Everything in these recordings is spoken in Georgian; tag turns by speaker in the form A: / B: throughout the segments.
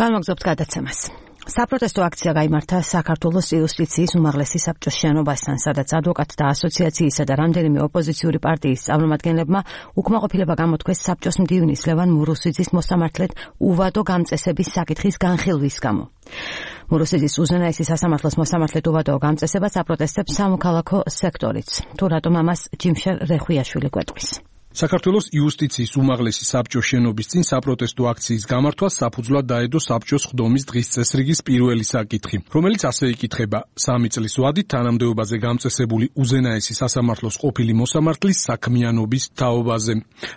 A: განვაგრძობთ გადაცემას. საპროტესტო აქცია გაიმართა საქართველოს იუსტიციის უმაღლესი საბჭოს შენობასთან, სადაც ადვოკატთა ასოციაციისა და რამდენიმე ოპოზიციური პარტიის წარმომადგენლებმა უკმაყოფილება გამოთქვეს საბჭოს მდივნის ლევან მურუსიძის მოსამართლედ უვადო გამწესების საკითხის განხილვის გამო. მურუსიძის უზენაესი სასამართლოს მოსამართლედ უვადო გამწესება საპროტესტებს სამოქალაქო სექტორიც. თუ რატომ ამას ჯიმშერ რეხვიაშვილი გვეტყვის.
B: საქართველოს იუსტიციის უმაღლესი საბჭოს შენობის წინ საპროტესტო აქციის გამართვას საფუძვლად დაედო საბჭოს ხდომის დღის წესრიგის პირველი საკითხი, რომელიც ასე იკითხება: 3 წლის ვადით თანამდებობაზე გამწესებული უზენაესი სასამართლოს ყოფილი მოსამართლის საქმიანობის თაობაზე.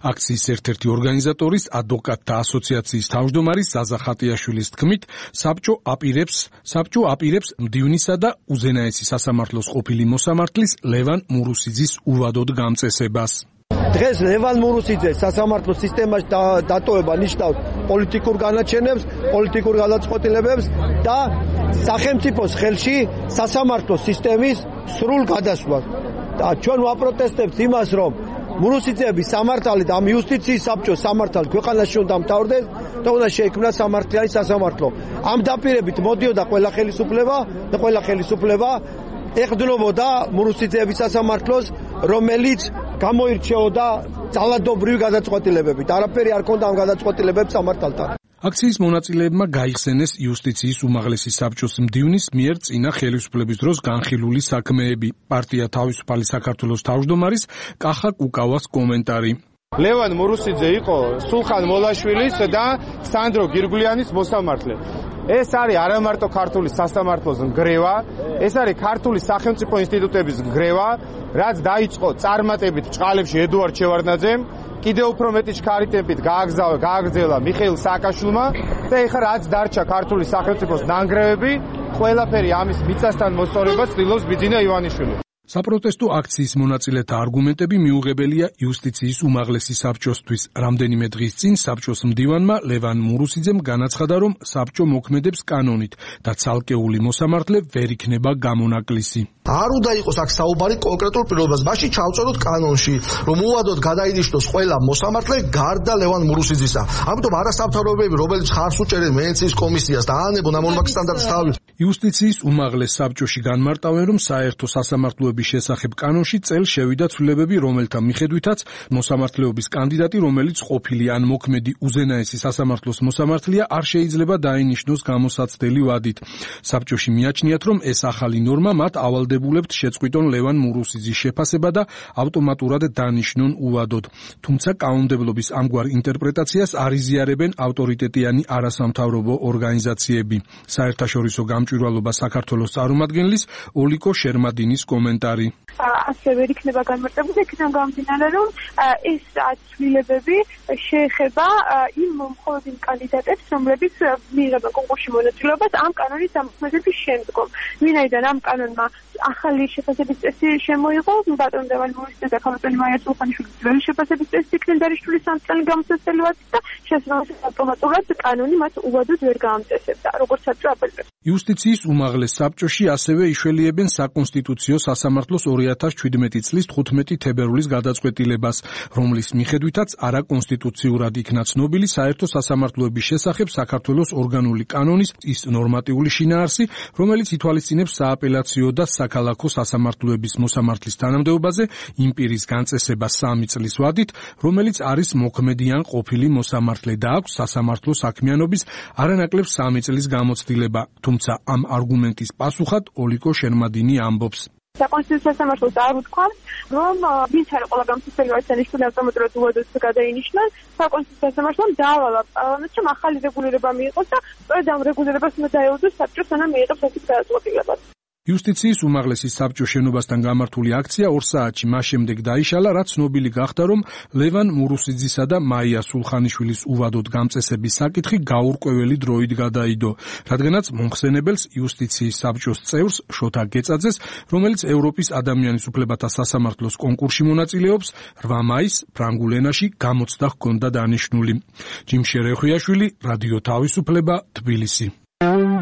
B: აქციის ერთ-ერთი ორგანიზატორის ადვოკატთა ასოციაციის თავმჯდომარის ზაზა ხატიაშვილის თქმით, საბჭო აპირებს მდივნისა და უზენაესი სასამართლოს ყოფილი მოსამართლის ლევან მურუსიძის უვადოდ გამწესებას.
C: დღეს ლევან მურუსიძეს სასამართლო სისტემაში დატოვება ნიშნავს პოლიტიკურ განაჩენებს, პოლიტიკურ გადაწყვეტილებებს და სახელმწიფოს ხელში სასამართლო სისტემის სრულ გადასვლას. და ჩვენ ვაპროტესტებთ იმას, რომ მურუსიძეების სამართალი და ამ იუსტიციის საბჭოს სამართალი ქვეყანაში უნდა მთავრდეს და უნდა შეიქმნას სამართლიანი სასამართლო. ამ დაპირებით მოდიოდა ყველა ხელისუფლება ეხდნობოდა მურუსიძეების სასამართლოს, რომელიც გამოირჩეოდა ძალადობრივი გადაწყვეტილებებით. არაფერი არ ქონდა ამ გადაწყვეტილებებს სამართალთან.
B: აქციის მონაწილეებმა გაიხსენეს იუსტიციის უმაღლესი საბჭოს მდივნის მიერ წინა ხელისუფლების დროს განხილული საქმეები. პარტია თავისუფალი საქართველოს თავმჯდომარის კახა კუკავას კომენტარი.
D: ლევან მურუსიძე იყო სულხან მოლაშვილის და სანდრო გირგვლიანის მოსამართლე. ეს არის არამარტო ქართული სასამართლოს ნგრევა, ეს არის ქართული სახელმწიფო ინსტიტუტების ნგრევა, რაც დაიწყო წარმატებით ჭყალებში ედუარდ შევარდნაძემ, კიდევ უფრო მეტი ჩქარი ტემპით გააგრძელა მიხეილ სააკაშვილმა და ეხლა რაც დარჩა ქართული სახელმწიფოს ნანგრევები, ყველაფერი ამის მიწასთან მოსწორებას ცდილობს ბიძინა ივანიშვილი.
B: საპროტესტო აქციის მონაწილეთა არგუმენტები მიუღებელია იუსტიციის უმაღლესი საბჭოსთვის. რამდენიმე დღის წინ საბჭოს მდივანმა ლევან მურუსიძემ განაცხადა, რომ საბჭო მოქმედებს კანონით და ცალკეული მოსამართლე ვერ იქნება გამონაკლისი.
E: არ უნდა იყოს აქ საუბარი კონკრეტულ პირობაზე. მაშინ ჩავწეროთ კანონში, რომ უვადოდ გადაინიშნოს ყველა მოსამართლე გარდა ლევან მურუსიძისა. ამიტომ არასამთავრობოები, რომელიც ხარს უჭერენ ვენეციის კომისიას და აანებონ ამ ორმაგი სტანდარტის თავით.
B: იუსტიციის უმაღლეს საბჭოში განმარტავენ, რომ საერთო სასამართლოების შესახებ კანონში წელს შევიდა ცვლილებები, რომელთა მიხედვითაც მოსამართლეობის კანდიდატი, რომელიც ყოფილი ან მოქმედი უზენაესი სასამართლოს მოსამართლეა, არ შეიძლება დაინიშნოს გამოსაცდელი ვადით. საბჭოში მიაჩნიათ, რომ ეს ახალი ნორმა მათ ავალდებულებთ შეწყვიტონ ლევან მურუსიძის შეფასება და ავტომატურად დანიშნონ უვადოდ. თუმცა კანონმდებლობის ამგვარ ინტერპრეტაციას არ იზიარებენ ავტორიტეტიანი არასამთავრობო ორგანიზაციები. საერთაშორისო გამჭვირვალობა საქართველოს წარმომადგენლის ოლიკო შერმადინის კომენტარი.
F: ასევე იქნება განმარტებული იქიდან გამომდინარე, რომ ეს ცვლილებები შეეხება მხოლოდ იმ კანდიდატებს, რომლებიც მიიღებენ კონკურსში მონაწილეობას ამ კანონის დამოქმედების შემდგომ. ვინაიდან ამ კანონმა ახალი შეფასების წესი შემოიღო, ბატონ ლევან მურუსიძე და ქალბატონი მაია სულხანიშვილის ძველი შეფასების წესი იქნენ დანიშნული 3 წელი გამოსაცდელი ვადით და შესაბამისად ავტომატურად კანონი მათ უვადოდ ვერ გაამწესებდა, როგორც საბჭო აპელირებს.
B: იუსტიციის უმაღლეს საბჭოში ასევე იშველიებენ საკონსტიტუციო სასამართლოს 2017 წლის 15 თებერვლის გადაწყვეტილებას, რომლის მიხედვითაც არაკონსტიტუციურად იქნა ცნობილი საერთო სასამართლოების შესახებ საქართველოს ორგანული კანონის ის ნორმატიული შინაარსი, რომელიც ითვალისწინებს სააპელაციო და საქალაქო სასამართლოების მოსამართლის თანამდებობაზე იმ პირის განწესება 3 წლის ვადით, რომელიც არის მოქმედი ან ყოფილი მოსამართლე და აქვს სასამართლო საქმიანობის არანაკლებ 3 წლის გამოცდილება. თუმცა ამ არგუმენტის პასუხად ოლიკო შერმადინი ამბობს.
F: საკონსტიტუციო სასამართლოს არ უთქვამს, რომ ვინც არის ყველა გამოცდილი არცანიშნული ავტომატურად უვადოდ გადაინიშნოს, საკონსტიტუციო სასამართლომ დაავალა პარლამენტში ახალი რეგულირება მიიღოს და სწორედ ამ რეგულირებას უნდა დაეუფლოს საბჭოს, სანამ მიიღებს ასეთ გადაწყვეტილებას.
B: იუსტიციის უმაღლესი საბჭოს შენობასთან გამართული აქცია 2 საათში მას შემდეგ დაიშალა, რაც ცნობილი გახდა, რომ ლევან მურუსიძისა და მაია სულხანიშვილის უვადოდ გამწესების საკითხი გაურკვეველი დროით გადაიდო, რადგანაც მომხსენებელს იუსტიციის საბჭოს წევრს შოთა გეწაძეს, რომელიც ევროპის ადამიანის უფლებათა სასამართლოს კონკურსში მონაწილეობს, 8 მაისს ფრანგულ ენაში გამოცდა ჰქონდა დანიშნული. ჯიმშერ რეხვიაშვილი, რადიო თავისუფლება, თბილისი.